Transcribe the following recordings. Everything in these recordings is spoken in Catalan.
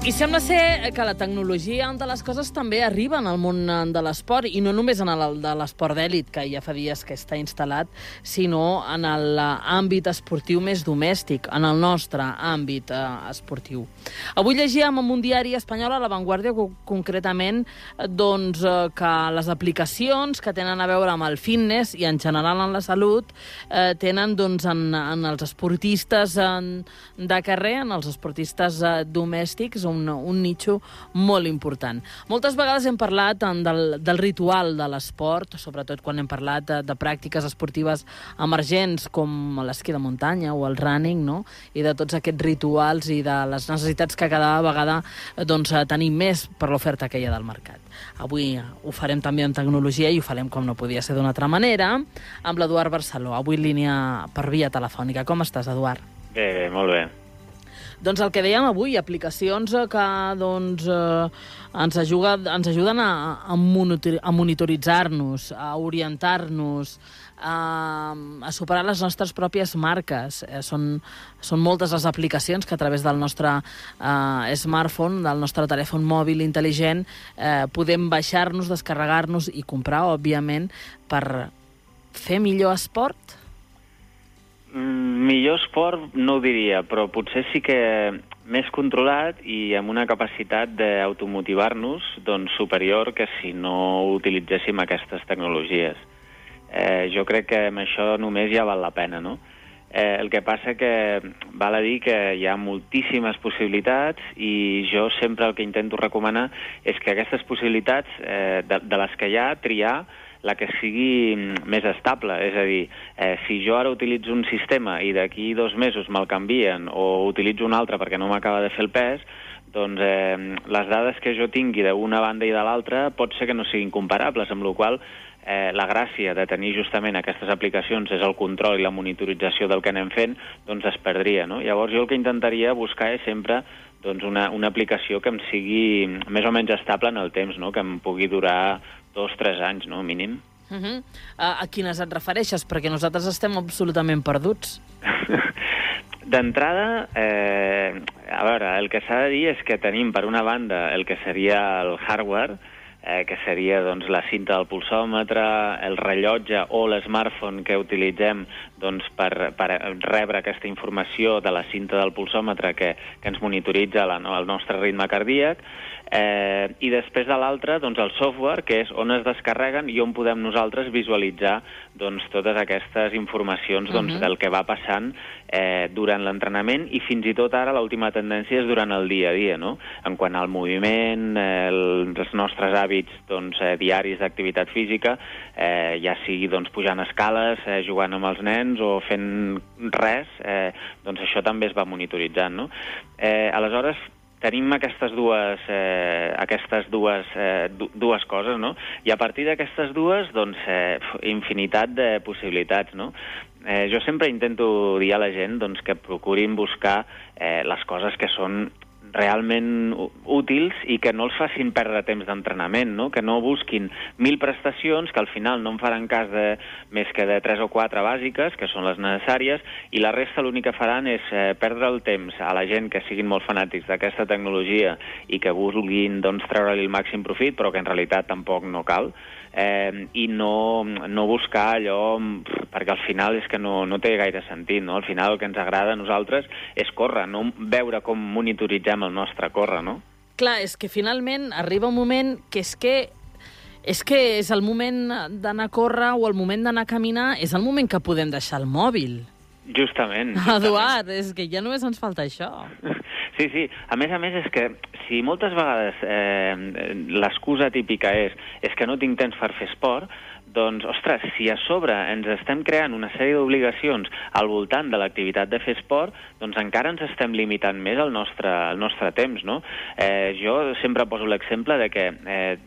I sembla ser que la tecnologia de les coses també arriba en el món de l'esport, i no només en el de l'esport d'èlit, que ja fa dies que està instal·lat, sinó en l'àmbit esportiu més domèstic, en el nostre àmbit esportiu. Avui llegíem en un diari espanyol, a La Vanguardia, concretament, doncs, que les aplicacions que tenen a veure amb el fitness i en general en la salut tenen doncs, en els esportistes de carrer, en els esportistes domèstics, un nicho molt important. Moltes vegades hem parlat del ritual de l'esport, sobretot quan hem parlat de pràctiques esportives emergents com l'esquí de muntanya o el running, no? I de tots aquests rituals i de les necessitats que cada vegada doncs, tenim més per l'oferta que hi ha del mercat. Avui ho farem també amb tecnologia i ho farem com no podia ser d'una altra manera, amb l'Eduard Barceló, avui línia per via telefònica. Com estàs, Eduard? Bé, molt bé. Doncs el que dèiem avui, aplicacions que doncs, ens ajuden a monitoritzar-nos, a orientar-nos, a superar les nostres pròpies marques. Són moltes les aplicacions que a través del nostre smartphone, del nostre telèfon mòbil intel·ligent, podem baixar-nos, descarregar-nos i comprar, òbviament, per fer millor esport. Millor esport no ho diria, però potser sí que més controlat i amb una capacitat d'automotivar-nos doncs, superior que si no utilitzéssim aquestes tecnologies. Jo crec que amb això només ja val la pena, no? El que passa que val a dir que hi ha moltíssimes possibilitats i jo sempre el que intento recomanar és que aquestes possibilitats, de les que hi ha, triar la que sigui més estable. És a dir, si jo ara utilitzo un sistema i d'aquí 2 mesos me'l canvien o utilitzo un altre perquè no m'acaba de fer el pes, doncs les dades que jo tingui d'una banda i de l'altra pot ser que no siguin comparables, amb la qual la gràcia de tenir justament aquestes aplicacions és el control i la monitorització del que anem fent, doncs es perdria, no? Llavors jo el que intentaria buscar és sempre doncs, una aplicació que em sigui més o menys estable en el temps, no? Que em pugui durar 2-3 anys, no? Mínim. A quines et refereixes? Perquè nosaltres estem absolutament perduts. D'entrada, a veure, el que s'ha de dir és que tenim, per una banda, el que seria el hardware, que seria doncs, la cinta del pulsòmetre, el rellotge o l'smartphone que utilitzem doncs, per rebre aquesta informació de la cinta del pulsòmetre que ens monitoritza el nostre ritme cardíac, i després de l'altre, doncs, el software, que és on es descarreguen i on podem nosaltres visualitzar doncs, totes aquestes informacions doncs, del que va passant durant l'entrenament i fins i tot ara l'última tendència és durant el dia a dia, no? En quant al moviment, els nostres hàbits doncs, diaris d'activitat física, ja sigui doncs, pujant escales, jugant amb els nens o fent res, doncs això també es va monitoritzant, no? Aleshores, tenim aquestes dues coses, no? I a partir d'aquestes dues, doncs, infinitat de possibilitats, no? Jo sempre intento dir a la gent doncs, que procurin buscar les coses que són realment útils i que no els facin perdre temps d'entrenament, no? Que no busquin 1.000 prestacions que al final no en faran cas de més que de 3 o 4 bàsiques, que són les necessàries, i la resta l'únic que faran és perdre el temps a la gent que siguin molt fanàtics d'aquesta tecnologia i que vulguin doncs, treure-li el màxim profit, però que en realitat tampoc no cal, i no buscar allò, perquè al final és que no té gaire sentit, no? Al final el que ens agrada a nosaltres és córrer, no veure com monitoritzem el nostre córrer, no? Clar, és que finalment arriba un moment que és el moment d'anar a córrer o el moment d'anar a caminar, és el moment que podem deixar el mòbil. Justament. Eduard, és que ja només ens falta això. Sí. A més és que si moltes vegades l'excusa típica és que no tinc temps per fer esport, doncs, ostres, si a sobre ens estem creant una sèrie d'obligacions al voltant de l'activitat de fer esport, doncs encara ens estem limitant més el nostre temps, no? Jo sempre poso l'exemple de que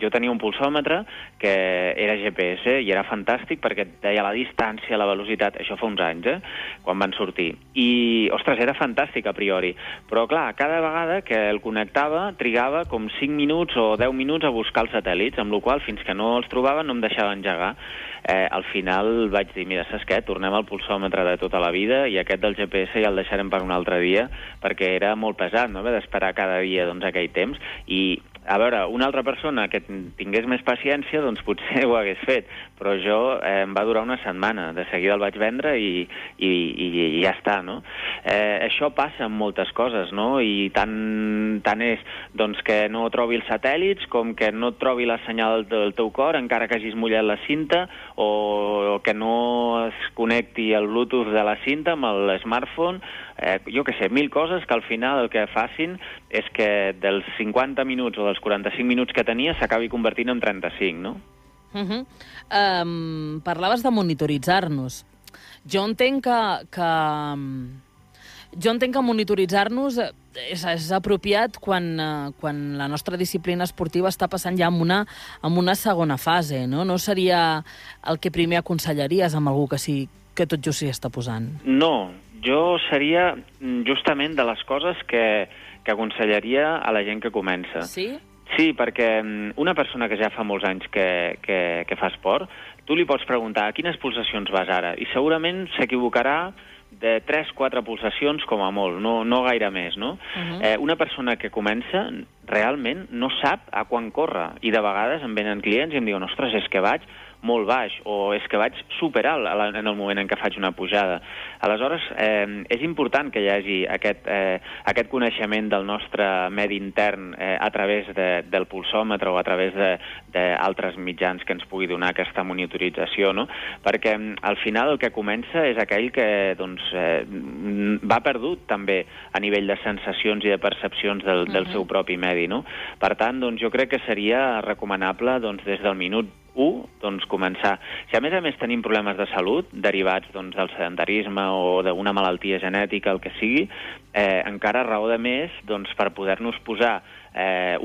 jo tenia un pulsòmetre que era GPS i era fantàstic perquè et deia la distància, la velocitat, això fa uns anys, quan van sortir. I, ostres, era fantàstic a priori. Però, clar, cada vegada que el connectava, trigava com 5 minuts o 10 minuts a buscar els satèl·lits, amb la qual cosa, fins que no els trobava, no em deixava engegar. al final vaig dir, mira, saps què? Tornem al pulsòmetre de tota la vida i aquest del GPS ja el deixarem per un altre dia, perquè era molt pesat, no?, haver d'esperar cada dia doncs, aquell temps. I a veure, una altra persona que tingués més paciència, doncs potser ho hagués fet, però jo em va durar una setmana, de seguida el vaig vendre i ja està, no? Això passa amb moltes coses, no? I tant és doncs, que no trobi els satèl·lits com que no trobi la senyal del teu cor encara que hagis mullat la cinta, o que no es connecti el Bluetooth de la cinta amb el smartphone, jo què sé, 1000 coses que al final el que facin és que dels 50 minuts o dels 45 minuts que tenia s'acabi convertint en 35, no? Parlaves de monitoritzar-nos. Jo entenc que monitoritzar-nos és apropiat quan la nostra disciplina esportiva està passant ja en una segona fase, no? No seria el que primer aconsellaries amb algú que tot just s'hi està posant? No, jo seria justament de les coses que aconsellaria a la gent que comença. Sí? Sí, perquè una persona que ja fa molts anys que fa esport, tu li pots preguntar quines pulsacions vas ara, i segurament s'equivocarà de 3-4 pulsacions com a molt, no gaire més, no? Una persona que comença realment no sap a quan corre, i de vegades em venen clients i em diuen, ostres, és que vaig molt baix, o és que vaig superalt en el moment en què faig una pujada. Aleshores, és important que hi hagi aquest coneixement del nostre medi intern a través del pulsòmetre o a través d'altres mitjans que ens pugui donar aquesta monitorització, no? Perquè al final el que comença és aquell que va perdut també a nivell de sensacions i de percepcions del seu propi medi, no? Per tant, jo crec que seria recomanable des del minut 1, començar. Si a més tenim problemes de salut derivats del sedentarisme o d'una malaltia genètica, el que sigui, encara raó de més per poder-nos posar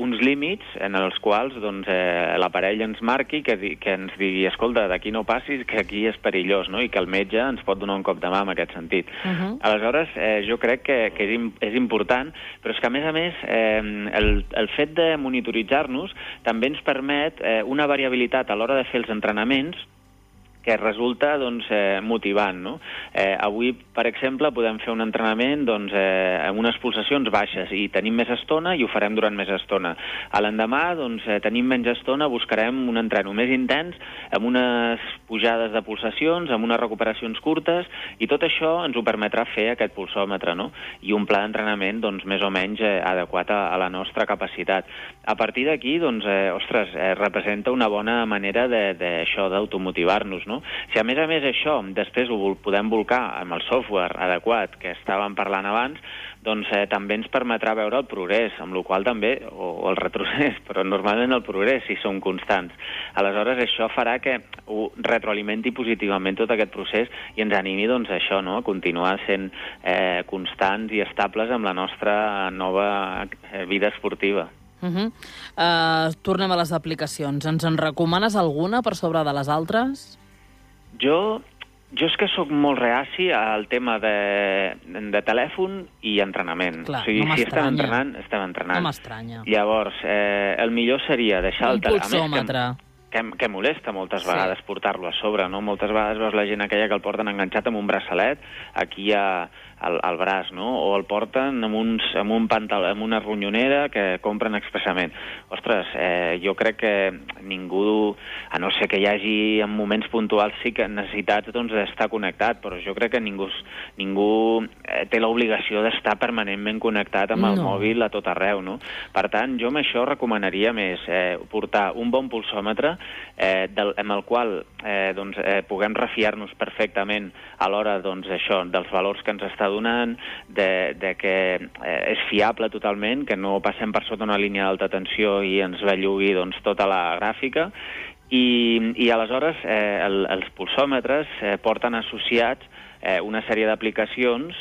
uns límits en els quals l'aparell ens marqui, que ens digui, escolta, d'aquí no passis, que aquí és perillós, no? I que el metge ens pot donar un cop de mà en aquest sentit. Aleshores, jo crec que és important, però és que a més el fet de monitoritzar-nos també ens permet una variabilitat a l'hora de fer els entrenaments que resulta motivant, no? Avui, per exemple, podem fer un entrenament amb unes pulsacions baixes i tenim més estona i ho farem durant més estona. A l'endemà, tenim menys estona, buscarem un entreno més intens, amb unes pujades de pulsacions, amb unes recuperacions curtes, i tot això ens ho permetrà fer aquest pulsòmetre, no? I un pla d'entrenament més o menys adequat a la nostra capacitat. A partir d'aquí, representa una bona manera d'automotivar-nos, no? Si a més això després ho podem volcar amb el software adequat que estàvem parlant abans, també ens permetrà veure el progrés, amb la qual també, o el retrocés, però normalment el progrés, si som constants. Aleshores, això farà que ho retroalimenti positivament tot aquest procés i ens animi a continuar sent constants i estables amb la nostra nova vida esportiva. Tornem a les aplicacions. Ens en recomanes alguna per sobre de les altres? Jo és que sóc molt reaci al tema de telèfon i entrenament. Clar, o sigui, no si estem entrenant. No m'estranya. Llavors, el millor seria deixar el pulsòmetre. Que molesta moltes vegades portar-lo a sobre, no? Moltes vegades veus la gent aquella que el porten enganxat amb un braçalet aquí al braç, no? O el porten amb una ronyonera que compren expressament. Ostres, jo crec que ningú, a no ser que hi hagi en moments puntuals sí que necessitats d'estar connectat, però jo crec que ningú té l'obligació d'estar permanentment connectat amb el mòbil a tot arreu, no? Per tant, jo amb això recomanaria més portar un bon pulsòmetre amb el qual puguem refiar-nos perfectament a l'hora dels valors que ens està donant, de que és fiable totalment, que no passem per sota una línia d'alta tensió i ens bellugui tota la gràfica, i aleshores els pulsòmetres porten associats una sèrie d'aplicacions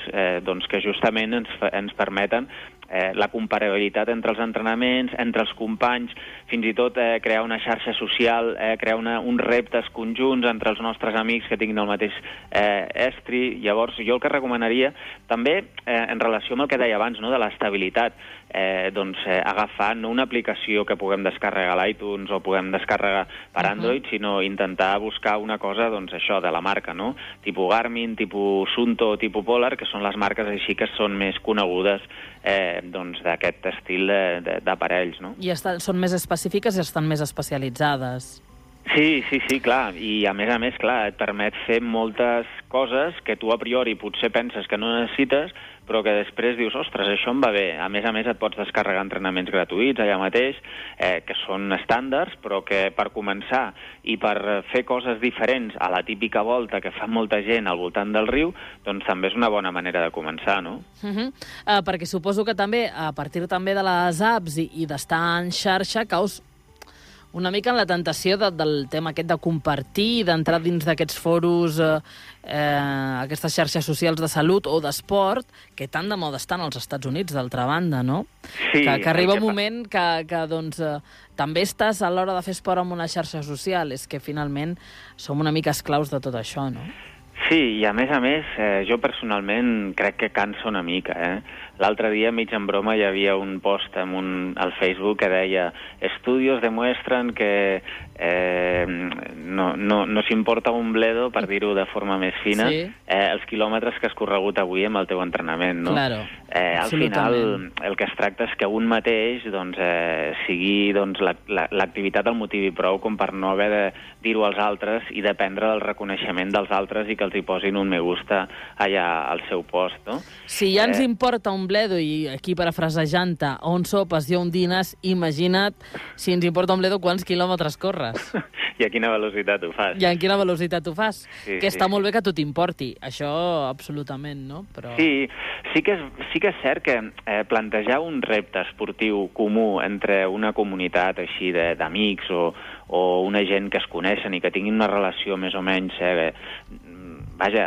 que justament ens permeten la comparabilitat entre els entrenaments, entre els companys, fins i tot crear una xarxa social, crear uns reptes conjunts entre els nostres amics que tinguin el mateix estri. Llavors, jo el que recomanaria, també en relació amb el que deia abans, no, de l'estabilitat, agafar no una aplicació que puguem descarregar a l'iTunes o puguem descarregar per Android, sinó intentar buscar una cosa, això, de la marca, no? Tipus Garmin, tipus Sunto, tipus Polar, que són les marques així que són més conegudes d'aquest estil d'aparells, no? I són més específiques i estan més especialitzades. Sí, clar, i a més, clar, et permet fer moltes coses que tu a priori potser penses que no necessites, però que després dius, ostres, això em va bé. A més, et pots descarregar entrenaments gratuïts allà mateix, que són estàndards, però que per començar i per fer coses diferents a la típica volta que fa molta gent al voltant del riu, doncs també és una bona manera de començar, no? Perquè suposo que també, a partir també de les apps i d'estar en xarxa, caus una mica en la tentació del tema aquest de compartir, d'entrar dins d'aquests foros, aquestes xarxes socials de salut o d'esport, que tant de moda estan als Estats Units, d'altra banda, no? Sí, que arriba un moment que també estàs a l'hora de fer esport amb una xarxa social. És que finalment som una mica esclaus de tot això, no? Sí, i a més, jo personalment crec que cansa una mica, L'altre dia, mig en broma, hi havia un post al Facebook que deia «Estudios demuestran que no s'importa un bledo, per dir-ho de forma més fina, els quilòmetres que has corregut avui amb el teu entrenament». No? Claro, al final, el que es tracta és que un mateix sigui l'activitat el motivi prou com per no haver de dir-ho als altres i dependre del reconeixement dels altres i que els hi posin un me gusta allà al seu post, no? Si ja ens importa un bledo, i aquí parafrasejant-te, on sopes i on dines, imagina't si ens importa un bledo quants quilòmetres corres. I a quina velocitat ho fas. I a quina velocitat ho fas. Que està molt bé que tu t'importi. Això, absolutament, no? Però... Sí que és cert que plantejar un repte esportiu comú entre una comunitat així d'amics o una gent que es coneixen i que tinguin una relació més o menys,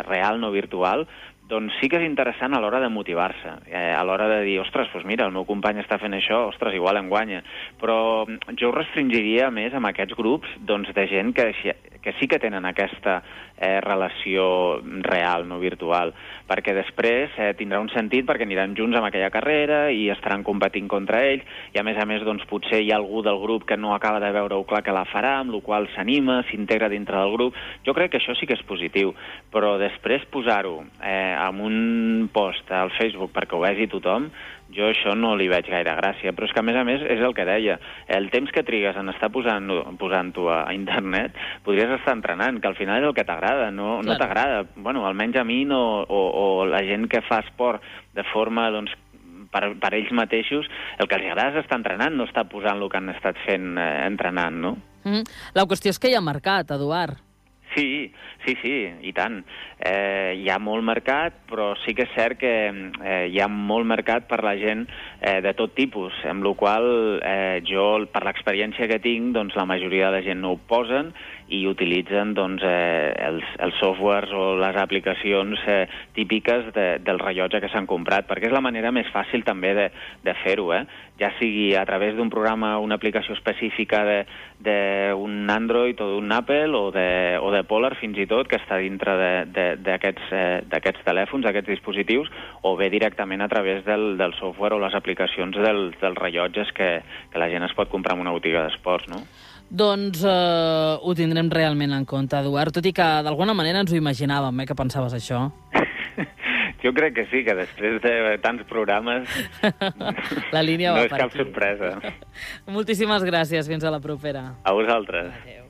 real, no virtual, doncs sí que és interessant a l'hora de motivar-se, a l'hora de dir, ostres, doncs mira, el meu company està fent això, ostres, igual em guanya. Però jo ho restringiria més amb aquests grups de gent que sí que tenen aquesta relació real, no virtual, perquè després tindrà un sentit perquè aniran junts amb aquella carrera i estaran competint contra ells, i a més, potser hi ha algú del grup que no acaba de veure-ho clar que la farà, amb la qual s'anima, s'integra dintre del grup. Jo crec que això sí que és positiu, però després posar-ho amb un post al Facebook perquè ho vegi tothom, jo això no li veig gaire gràcia, però és que a més és el que deia, el temps que trigues en estar posant-ho a internet, podries estar entrenant, que al final és el que t'agrada, no t'agrada, bueno, almenys a mi o la gent que fa esport de forma, per ells mateixos, el que els agrada és estar entrenant, no estar posant el que han estat fent entrenant, no? La qüestió és que hi ha mercat, Eduard. Sí, i tant. Hi ha molt mercat, però sí que és cert que hi ha molt mercat per la gent de tot tipus, amb la qual jo, per l'experiència que tinc, la majoria de la gent no ho posen i utilitzen els softwares o les aplicacions típiques del rellotge que s'han comprat, perquè és la manera més fàcil també de fer-ho, ja sigui a través d'un programa, una aplicació específica d'un Android o d'un Apple o de Polar fins i tot, que està dintre d'aquests telèfons, d'aquests dispositius, o bé directament a través del software o les aplicacions dels rellotges que la gent es pot comprar en una botiga d'esports, no? Doncs ho tindrem realment en compte, Eduard, tot i que d'alguna manera ens ho imaginàvem, que pensaves això. Jo crec que sí, que després de tants programes la línia no va és cap sorpresa. Moltíssimes gràcies, fins a la propera. A vosaltres. Adéu.